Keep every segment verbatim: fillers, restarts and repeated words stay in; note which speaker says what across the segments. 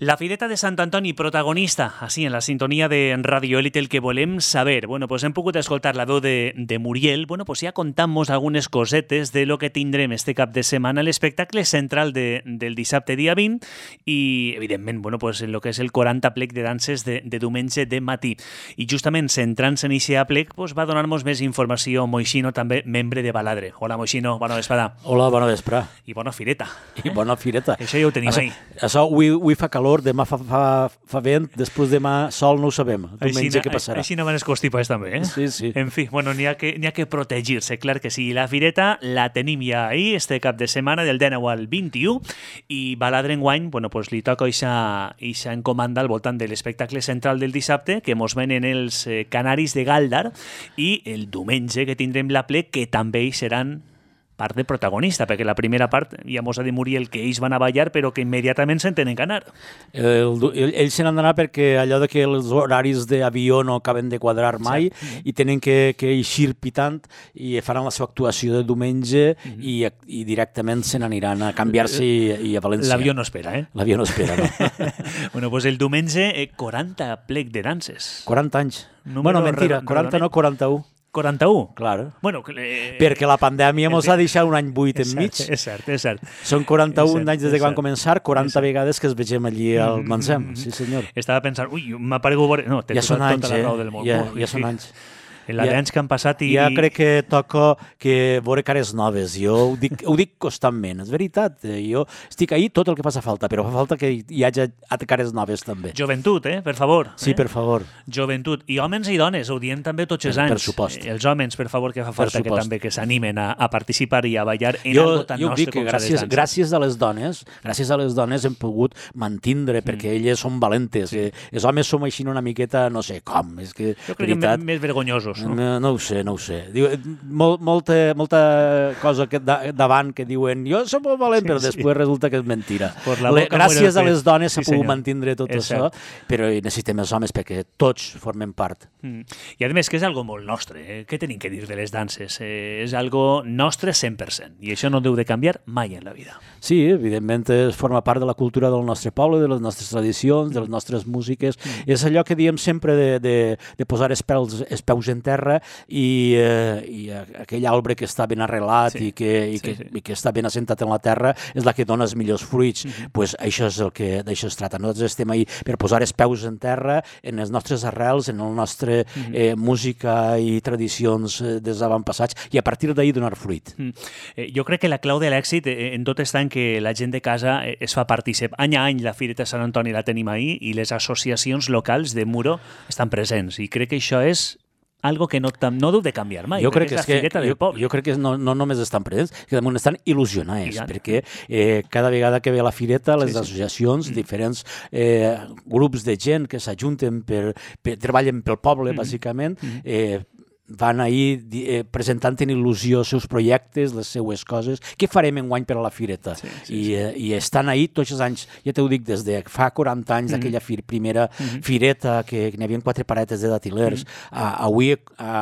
Speaker 1: La Fireta de Sant Antoni, protagonista, així, en la sintonia de Radio Élite, el que volem saber. Bueno, pues hem pogut escoltar la veu de, de Muriel. Bueno, pues ja contam-nos algunes cosetes de lo que tindrem este cap de setmana, l'espectacle central de, del dissabte dia vint i, evidentment, bueno, pues en lo que és el quaranta plec de danses de, de diumenge de matí. I justament centrant-se en aquest plec, pues, va donar-nos més informació Moixino, també membre de Baladre. Hola, Moixino, bona vesprada.
Speaker 2: Hola, bona vesprada.
Speaker 1: I bona fireta.
Speaker 2: I bona fireta.
Speaker 1: Això ja ho tenim
Speaker 2: això,
Speaker 1: ahí.
Speaker 2: Això avui, avui fa calor, demà fa, fa, fa vent, després demà sol, no ho sabem. Diumenge què passarà.
Speaker 1: Així no van els constipats també, eh?
Speaker 2: Sí, sí.
Speaker 1: En fi, bueno, n'hi ha que, n'hi ha que protegir-se, clar que sí. La fireta la tenim ja ahí, este cap de setmana, del dinou al vint-i-u, i Baladre enguany, bueno, pues li toca ixa, ixa encomanda al voltant de l'espectacle central del dissabte, que mos venen els eh, Canaris de Galdar, i el diumenge que tindrem la plec, que també hi seran part de protagonista, perquè la primera part ja mos ha de morir el que ells van a ballar, però que immediatament se'n tenen que anar.
Speaker 2: El, el, ells se n'han d'anar perquè allò de que els horaris d'avió no acaben de quadrar mai, sí. I tenen que, que eixir pitant i faran la seva actuació de diumenge mm-hmm. i, i directament se n'aniran a canviar-se i, i a València.
Speaker 1: L'avió no espera, eh?
Speaker 2: L'avió no espera, no.
Speaker 1: Bueno, pues el diumenge, eh, quaranta plec de danses.
Speaker 2: quaranta anys. Número bueno, mentira, quaranta no, quaranta-u.
Speaker 1: quaranta-u?
Speaker 2: Clar.
Speaker 1: Bueno, eh,
Speaker 2: perquè la pandèmia ens ha deixat un any buit enmig.
Speaker 1: És cert, és cert.
Speaker 2: Són quaranta-un anys des que van començar, quaranta vegades que es vegem allí al Mansem. Sí, senyor.
Speaker 1: Estava pensant, ui, m'ha paregut... No,
Speaker 2: ja són anys,
Speaker 1: tota la raó del món.
Speaker 2: Ja, ja són anys.
Speaker 1: La ja, d'anys que han passat i...
Speaker 2: Ja crec que toca que veure cares noves. Jo ho dic, ho dic constantment, és veritat. Jo estic ahí tot el que faci falta, però fa falta que hi hagi cares noves també.
Speaker 1: Joventut, eh? Per favor.
Speaker 2: Sí,
Speaker 1: eh?
Speaker 2: per favor.
Speaker 1: Joventut. I homes i dones, ho diem també tots els
Speaker 2: per,
Speaker 1: anys.
Speaker 2: Per supost.
Speaker 1: Els homes, per favor, que fa falta que també que s'animen a, a participar i a ballar en
Speaker 2: jo,
Speaker 1: algo tan
Speaker 2: jo
Speaker 1: nostre
Speaker 2: dic que
Speaker 1: com
Speaker 2: gràcies, gràcies a les dones, gràcies a les dones hem pogut mantindre, mm. perquè elles són valentes. Sí. Els homes som així una miqueta, no sé com. És que,
Speaker 1: jo crec veritat, que més vergonyosos. No,
Speaker 2: no, no ho sé, no ho sé. Diu, molt, molta, molta cosa que davant que diuen jo som molt valent, sí, però després sí. Resulta que és mentira. Le, gràcies a les dones s'ha sí, pogut mantindre tot és això, cert. Però necessitem els homes perquè tots formem part.
Speaker 1: Mm. I a més que és algo molt nostre. Eh? Què tenim que dir de les danses? Eh, és algo nostre cent per cent i això no deu de canviar mai en la vida.
Speaker 2: Sí, evidentment forma part de la cultura del nostre poble, de les nostres tradicions, de les nostres músiques. Mm. És allò que diem sempre de, de, de posar els peus, els peus en terra i i aquell arbre que està ben arrelat sí, i, que, i, sí, que, sí. i que està ben assentat en la terra és la que dona els millors fruits. Mm-hmm. Pues això és el que d'això es tracta. Nosaltres estem ahí per posar els peus en terra en les nostres arrels, en la nostra mm-hmm. eh, música i tradicions eh, dels avantpassats i a partir d'ahir donar fruit.
Speaker 1: Mm. Eh, jo crec que la clau de l'èxit eh, en tot està en que la gent de casa eh, es fa partícip. Any a any la Fireta Sant Antoni la tenim ahí i les associacions locals de Muro estan presents i crec que això és algo que no, no deu de canviar mai.
Speaker 2: Jo crec que, és que
Speaker 1: jo,
Speaker 2: jo crec que no, no només estan presents, que damunt estan il·lusionats, perquè eh, cada vegada que ve la fireta, les sí, sí. associacions, mm. diferents eh, grups de gent que s'ajunten per, per treballen pel poble, mm. bàsicament, mm. eh, van ahir eh, presentant en il·lusió els seus projectes, les seues coses. Què farem enguany per a la fireta? Sí, sí, I, eh, I estan ahir tots els anys, ja t'ho dic, des de fa quaranta anys, mm-hmm. d'aquella fir, primera mm-hmm. fireta, que, que n'hi havia quatre paretes de datilers. Mm-hmm. Uh, avui ha,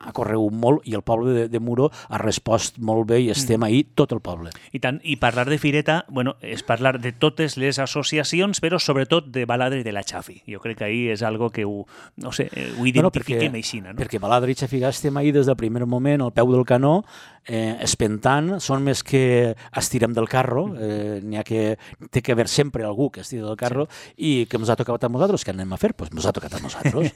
Speaker 2: ha corregut molt i el poble de, de Muro ha respost molt bé i estem mm-hmm. ahir tot el poble.
Speaker 1: I tant, i parlar de fireta, bueno, és parlar de totes les associacions, però sobretot de Baladre i de la Xafi. Jo crec que ahir és algo que ho, no sé, ho identifiquem
Speaker 2: bueno,
Speaker 1: així, no?
Speaker 2: Perquè Baladre i Xafi estem ahir des del primer moment al peu del canó, eh, espentant, són més que estirem del carro, eh, n'hi ha que té que haver sempre algú que estira del carro sí. i que ens ha tocat a nosaltres, què anem a fer? Doncs pues ens ha tocat a nosaltres.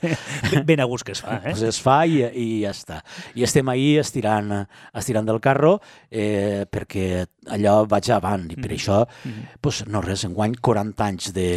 Speaker 1: Ben a gust que es fa, eh?
Speaker 2: Pues es fa i, i ja està. I estem ahir estirant, estirant del carro eh, perquè allò vaig avant i per mm-hmm. això, mm-hmm. pues, no res, enguany quaranta anys de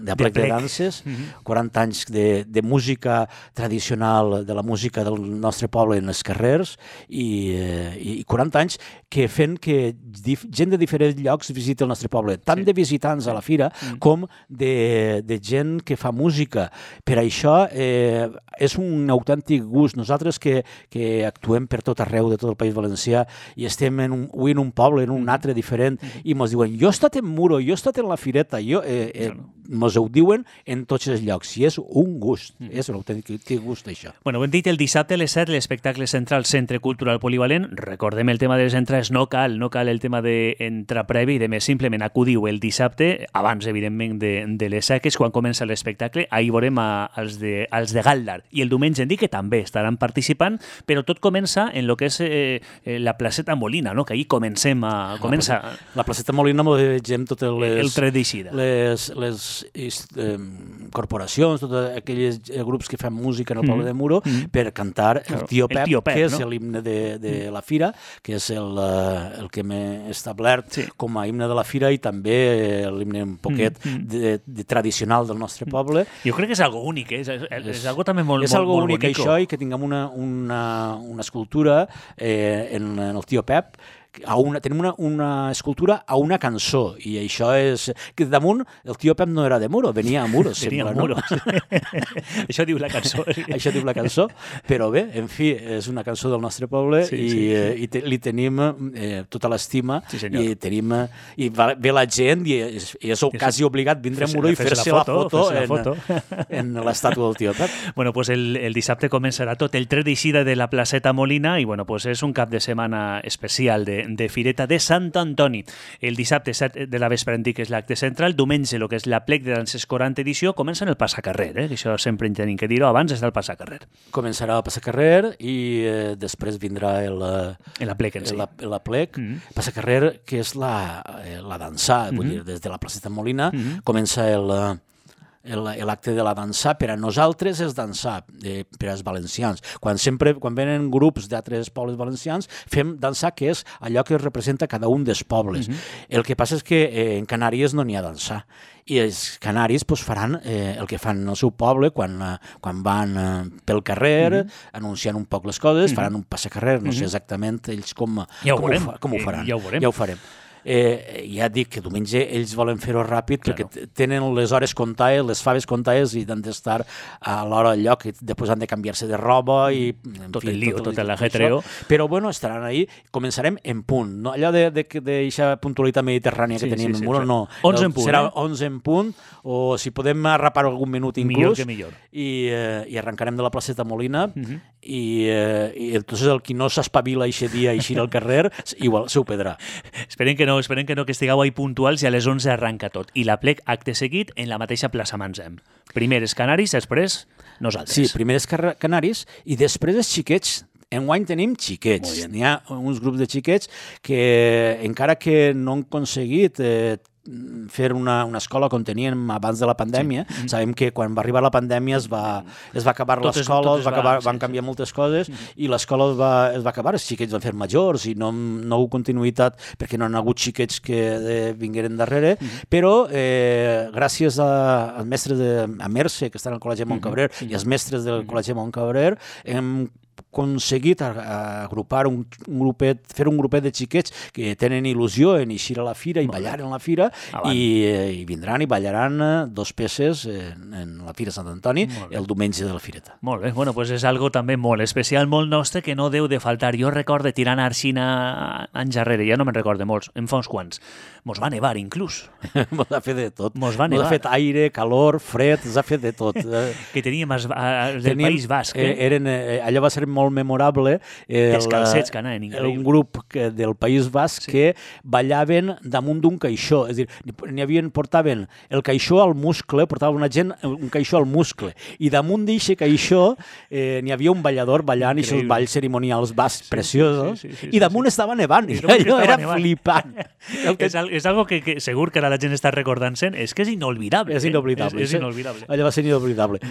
Speaker 2: de plec de, de danses, mm-hmm. quaranta anys de, de música tradicional, de la música del nostre poble en els carrers i, eh, i quaranta anys que fent que dif, gent de diferents llocs visiti el nostre poble, tant sí. de visitants a la fira mm. com de, de gent que fa música. Per això eh, és un autèntic gust. Nosaltres que, que actuem per tot arreu de tot el País Valencià i estem en un, avui en un poble, en un altre diferent, mm. i ens diuen, jo he estat en Muro, jo he estat en la fireta, jo... Eh, eh, mos ho diuen en tots els llocs, i és un gust, mm. és un autèntic gust, això.
Speaker 1: Bueno, ho hem dit, el dissabte a les set, l'espectacle central Centre Cultural Polivalent. Recordem el tema de les entrades, no cal, no cal el tema d'entrar previ, i de més, simplement acudiu el dissabte, abans, evidentment, de, de les seques, quan comença l'espectacle, ahir veurem a, als, de, als de Galdar, i el diumenge en dir que també estaran participant, però tot comença en el que és eh, la placeta Molina, no? Que ahir comencem a... Comença...
Speaker 2: La, la placeta Molina m'ho vegem totes les...
Speaker 1: El tret d'eixida.
Speaker 2: Les, les eh, corporacions, tots aquells grups que fan música en el poble mm. de Muro mm. per cantar el Tio Pep, el Tio Pep que és no? l'himne de, de mm. la Fira, que és el, el que m'he establert sí. com a himne de la Fira i també l'himne un poquet mm. de, de tradicional del nostre poble.
Speaker 1: Jo crec que és algo únic, eh? és, és, és algo també molt,
Speaker 2: és
Speaker 1: molt,
Speaker 2: algo
Speaker 1: molt
Speaker 2: únic
Speaker 1: bonico.
Speaker 2: Això i que tinguem una, una, una escultura eh, en, en el Tio Pep. A una, tenim una, una escultura a una cançó, i això és... que damunt el Tio Pep no era de Muro, venia a Muro,
Speaker 1: venia
Speaker 2: sembla,
Speaker 1: a Muro.
Speaker 2: No?
Speaker 1: Això diu la cançó.
Speaker 2: Això diu la cançó, però bé, en fi, és una cançó del nostre poble sí, i, sí, sí. Eh, i te, li tenim eh, tota l'estima sí, i tenim... I va, ve la gent i és, i és quasi obligat vindre a Muro i fer-se la foto, la foto en, en l'estàtua del Tio Pep.
Speaker 1: Bueno, pues el, el dissabte començarà tot el tret d'eixida de la placeta Molina i bueno, pues és un cap de setmana especial de de Fireta de Sant Antoni. El dissabte set de la vespre en dic és l'acte central, diumenge el que és la plec de danses quaranta edició, comença en el passacarrer, eh? Això sempre en tenim que dir-ho, abans és del passacarrer.
Speaker 2: Començarà el passacarrer i eh, després vindrà el,
Speaker 1: la plec en si.
Speaker 2: La, la plec. Mm-hmm. Passacarrer, que és la, la dansa, mm-hmm. vull dir, des de la placeta Molina, mm-hmm. comença el... l'acte de la dansar. Per a nosaltres és dansar, eh, per als valencians. Quan sempre, quan venen grups d'altres pobles valencians, fem dansar, que és allò que representa cada un dels pobles. Mm-hmm. El que passa és que eh, en Canàries no n'hi ha dansar. I els canaris pues, faran eh, el que fan en el seu poble quan, eh, quan van eh, pel carrer, mm-hmm. anunciant un poc les coses, mm-hmm. faran un passacarrer, no mm-hmm. sé exactament ells com,
Speaker 1: ja ho,
Speaker 2: com,
Speaker 1: veurem.
Speaker 2: ho, fa, com ho faran.
Speaker 1: Ja ho veurem.
Speaker 2: Ja ho farem. Eh, ja dic que diumenge ells volen fer-ho ràpid claro. perquè tenen les hores comptades, les faves comptades i han d'estar a l'hora al lloc i després han de canviar-se de roba i
Speaker 1: tot fi, el lío, tot, tot l'ajetreo.
Speaker 2: Però bueno, estaran ahí, començarem en punt, no? Allò d'aquesta puntualitat mediterrània que sí, tenim sí, sí, en Muro, no.
Speaker 1: onze en punt,
Speaker 2: serà
Speaker 1: eh?
Speaker 2: onze en punt, o si podem arrapar algun minut inclús.
Speaker 1: Millor que millor.
Speaker 2: I, eh, i arrencarem de la placeta Molina
Speaker 1: uh-huh.
Speaker 2: i, eh, i entonces el qui no s'espavila eixe dia i eixir al carrer, igual s'ho pedrà.
Speaker 1: Esperem que no, esperem que no, que estigueu ahí puntuals i a les onze arranca tot. I la plec, acte seguit, en la mateixa plaça Mansem. Primer els canaris, després nosaltres.
Speaker 2: Sí, primer els canaris i després els xiquets. Enguany tenim xiquets. N'hi ha uns grups de xiquets que, encara que no han aconseguit eh, fer una, una escola com teníem abans de la pandèmia, sí. sabem que quan va arribar la pandèmia es va, es va acabar tot l'escola, es, es va acabar, va, van sí, canviar sí. moltes coses mm-hmm. i l'escola es, va, es va acabar, els xiquets van fer majors i no, no ha continuïtat perquè no han hagut xiquets que eh, vingueren darrere, mm-hmm. però eh, gràcies a, als mestres de a Merce, que estan al Col·legi Montcabrer, mm-hmm. i als mestres del mm-hmm. Col·legi Montcabrer, hem aconseguit agrupar un, un grupet, fer un grupet de xiquets que tenen il·lusió en eixir a la fira i Molt ballar bé. en la fira i, i vindran i ballaran dos peces en, en la Fira Sant Antoni el diumenge de la Fireta.
Speaker 1: Molt bé, bueno, pues és algo també molt especial, molt nostre, que no deu de faltar. Jo recordo tirant a Arxina anys darrere, ja no me'n recordo molts, en fa uns quants. Mos va nevar, inclús.
Speaker 2: Mos ha fet de tot.
Speaker 1: Mos va nevar.
Speaker 2: Mos ha fet aire, calor, fred, s'ha fet de tot.
Speaker 1: Que teníem els del teníem, País Basc. Eh?
Speaker 2: Eren, eh, allò va ser molt memorable.
Speaker 1: El, els calcets que anaven, increïble.
Speaker 2: Un grup que, del País Basc sí. que ballaven damunt d'un caixó. És a dir, n'hi havien, portaven el caixó al muscle, portava una gent un caixó al muscle, i damunt d'aquest caixó eh, n'hi havia un ballador ballant aquests balls cerimonials bascs sí, preciosos, sí, sí, sí, sí, i damunt sí, sí. estava nevant, i allò era nevant. Flipant.
Speaker 1: que... és, és algo que, que segur que ara la gent està recordant-se'n, és que és inolvidable.
Speaker 2: És inolvidable.
Speaker 1: Eh? És, és inolvidable.
Speaker 2: Allò va ser inolvidable.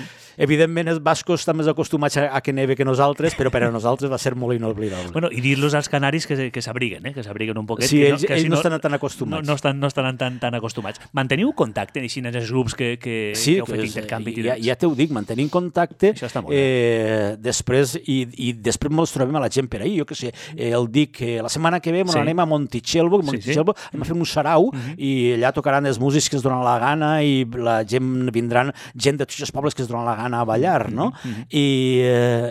Speaker 2: Evidentment, els bascos estan més acostumats a, a que neve que nosaltres, però per a nosaltres va ser molt inolvidable.
Speaker 1: Bueno, i dir-los als canaris que, que s'abriguen, eh? que s'abriguen un poquet.
Speaker 2: Sí,
Speaker 1: que
Speaker 2: ells,
Speaker 1: no, que
Speaker 2: ells
Speaker 1: si
Speaker 2: no, no estan tan acostumats.
Speaker 1: No, no, estan, no estan tan, tan acostumats. Manteniu contacte així en els grups que, que,
Speaker 2: sí,
Speaker 1: que heu fet intercanvi?
Speaker 2: Ja, ja t'ho dic, mantenim contacte.
Speaker 1: Això està molt
Speaker 2: eh, després, i, i després ens trobem a la gent per ahir, jo què sé, eh, el dic que la setmana que ve sí. anem a Montitxelvo, Montitxelvo sí, sí. anem a fer un sarau i allà tocaran els músics que es donen la gana i la gent vindran, gent de tots els pobles que es donen la gana a ballar, no? I,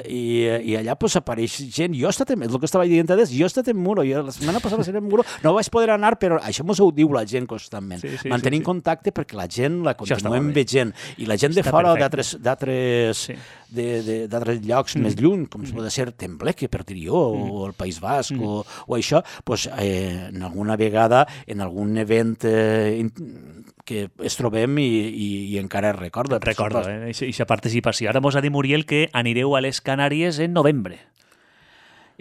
Speaker 2: i, i allà pues, apareix gent. Jo he estat en, és el que estava dient antes, jo he estat en Muro, jo la setmana passada seré en Muro, no vaig poder anar, però això mos ho diu la gent constantment. Sí, sí, Mantenim sí, sí. contacte perquè la gent la continuem veient i la gent de fora d'altres d'altres sí. d'altres llocs mm. més lluny, com mm. pot ser Tembleque, per dir jo, mm. o el País Basc, mm. o, o això, pues, eh, en alguna vegada, en algun event eh, que es trobem i, i, i encara es recorda.
Speaker 1: Recordo, eh, aquesta participació. Ara mos ha dit Muriel que anireu a les Canàries en novembre.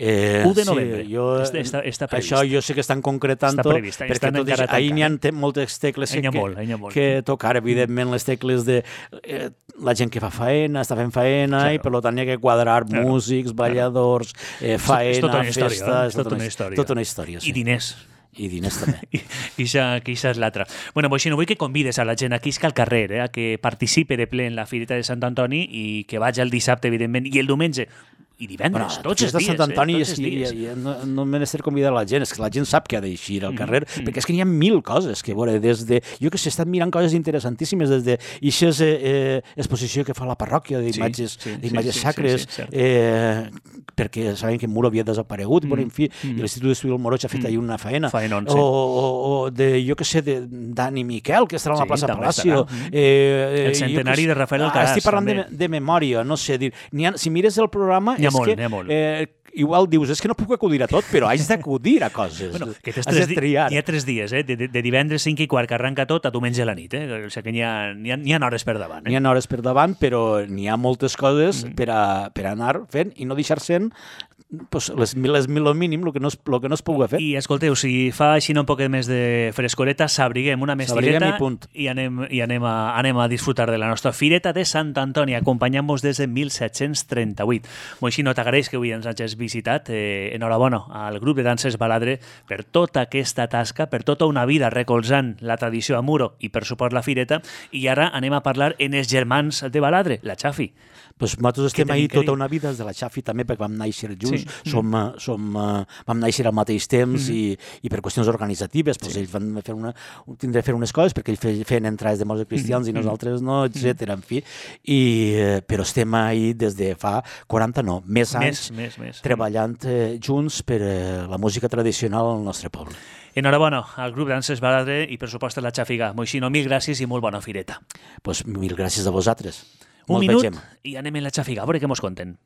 Speaker 2: Eh,
Speaker 1: u de novembre.
Speaker 2: Sí, jo,
Speaker 1: està, està
Speaker 2: això jo sé que estan concretant tot, perquè tot això, ahir n'hi ha moltes tecles que,
Speaker 1: molt, molt.
Speaker 2: que tocar, evidentment, les tecles de eh, la gent que fa faena, està fent faena, claro. I per tant hi ha que quadrar claro. músics, balladors, eh, faena,
Speaker 1: és tota una
Speaker 2: festa...
Speaker 1: Història, és tota una història.
Speaker 2: Tota una història, sí.
Speaker 1: I diners.
Speaker 2: I diners també.
Speaker 1: I, i això és l'altre. Bueno, Moixino, vull que convides a la gent aquí al carrer, eh, a que participe de ple en la Fireta de Sant Antoni i que vagi el dissabte, evidentment, i el diumenge, i divendres, bueno, tots els dies.
Speaker 2: Sant Antoni
Speaker 1: eh?
Speaker 2: és, i, i, i, no, no m'he de convidar la gent, és que la gent sap que ha d'eixir al carrer, mm, perquè és que n'hi ha mil coses que veure, des de... Jo que sé, he estat mirant coses interessantíssimes, des de aquesta eh, exposició que fa la parròquia d'imatges sí, sí, d'imatges sí, sacres, sí, sí, sí, eh, perquè sabem que Muro havia desaparegut, mm, però, en fi, mm. i l'Institut d'Estudi del Moroig ha fet mm. ahir una faena.
Speaker 1: Faenon,
Speaker 2: sí. O, o, o de, jo que sé, de Dani Miquel, que estarà a la sí, plaça Palacio. Eh,
Speaker 1: el centenari
Speaker 2: que,
Speaker 1: de Rafael Alcaraz.
Speaker 2: Estic parlant de, de memòria, no sé, dir, ha, si mires el programa...
Speaker 1: N'hi ha
Speaker 2: és
Speaker 1: molt,
Speaker 2: que,
Speaker 1: n'hi ha molt.
Speaker 2: Eh, igual dius, és que no puc acudir a tot, però haig d'acudir a coses.
Speaker 1: Bueno, que
Speaker 2: has de triar.
Speaker 1: Hi ha tres dies, eh? de, de, de divendres cinc i quart que arranca tot a diumenge a la nit. Eh? O sigui que n'hi ha, n'hi ha, n'hi ha hores per davant. Eh?
Speaker 2: N'hi ha hores per davant, però n'hi ha moltes coses mm. per, a, per anar fent i no deixar sent pues, les, les, el mínim, el que, no es, el que no es pugui fer.
Speaker 1: I escolteu, si fa així un poc més de frescoreta, s'abriguem una mestireta
Speaker 2: i,
Speaker 1: i, anem, i anem, a, anem a disfrutar de la nostra Fireta de Sant Antoni, acompanyant-vos des de disset trenta-vuit. Moixino, t'agraeix que avui ens hagis visitat. Eh, enhorabona al grup de danses Baladre per tota aquesta tasca, per tota una vida recolzant la tradició a Muro i per suport la Fireta. I ara anem a parlar en els germans de Baladre, la Xafi.
Speaker 2: Pues nosaltres estem ahir tota una vida, des de la Xafi també, perquè vam néixer junts, sí. som, mm. som, uh, vam néixer al mateix temps mm. i, i per qüestions organitzatives, pues sí. ells van fer una, tindre fer unes coses perquè ells feien entrades de molts cristians mm. i nosaltres no, etcètera. En fi. I, però estem ahir des de fa quaranta, no, més anys,
Speaker 1: més, més, més.
Speaker 2: treballant eh, junts per eh, la música tradicional al nostre poble.
Speaker 1: Enhorabona al grup Danses Baladre i per supost a la Xafiga. Moixino, mil gràcies i molt bona Fireta.
Speaker 2: Pues mil gràcies a vosaltres.
Speaker 1: Un minut i anem en la Xafiga, a veure què mos conten.